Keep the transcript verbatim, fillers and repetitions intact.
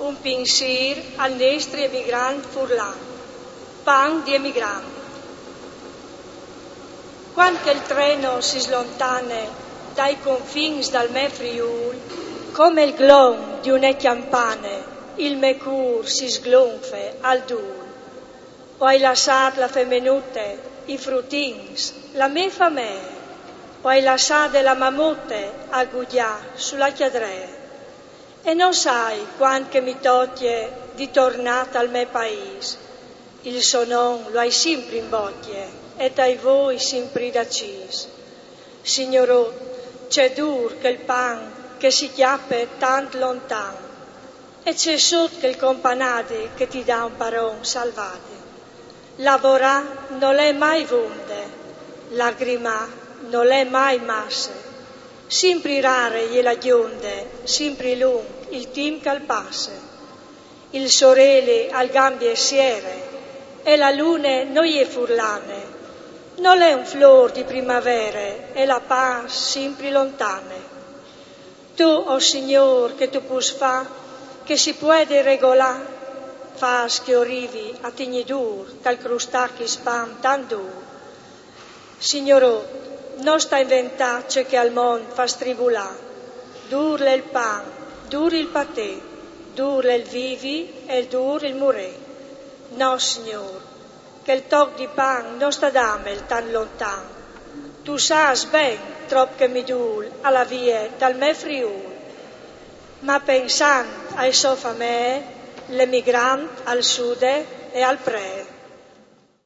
Un pinsir al nestri emigrant furlan. Pan di emigrant. Quand che il treno si slontane dai confins dal me Friul, come il glon di une chiampane, il me cur si sglonfe al dul. O ai lassat la femenute, i frutins, la me famee, o ai lassade la mamute a gugià su la cjadree. E no sai quand che mi tocje di tornâ tal me paîs. Il so non lo ai simpri in bocje e tai voi simpri dacîs. Signorot, ce dur chel pan che si cjape tant lontan, e ce sot chel companadi che ti dà un paron salvadi. Lavorâ nol è mai vonde, lagrimâ nol è mai masse, simpri rare e je la gjonde, simpri lunc il timp che al passe. Il soreli al gambie siere, e la lune no je furlane, nol è un flôr di primavere, e la pâs simpri lontane. Tu, o Signôr, che tu pûs fâ che si puedi regolâ, fâs che o rivi a tignî dûr tal crustâ chist pan tant dûr. Signorot, no sta inventâ ce che al mont fâs tribulâ. Dûr l'è il pan, dûr il patî, dûr l'è il vivi e dûr il murî. No, Signôr, chel toc di pan no sta dâmel tant lontan. Tu sâs ben trop che mi dûl a lâ vie tal me Friûl. Ma pensant ae sô famee, l'emigrant al sude e al pree.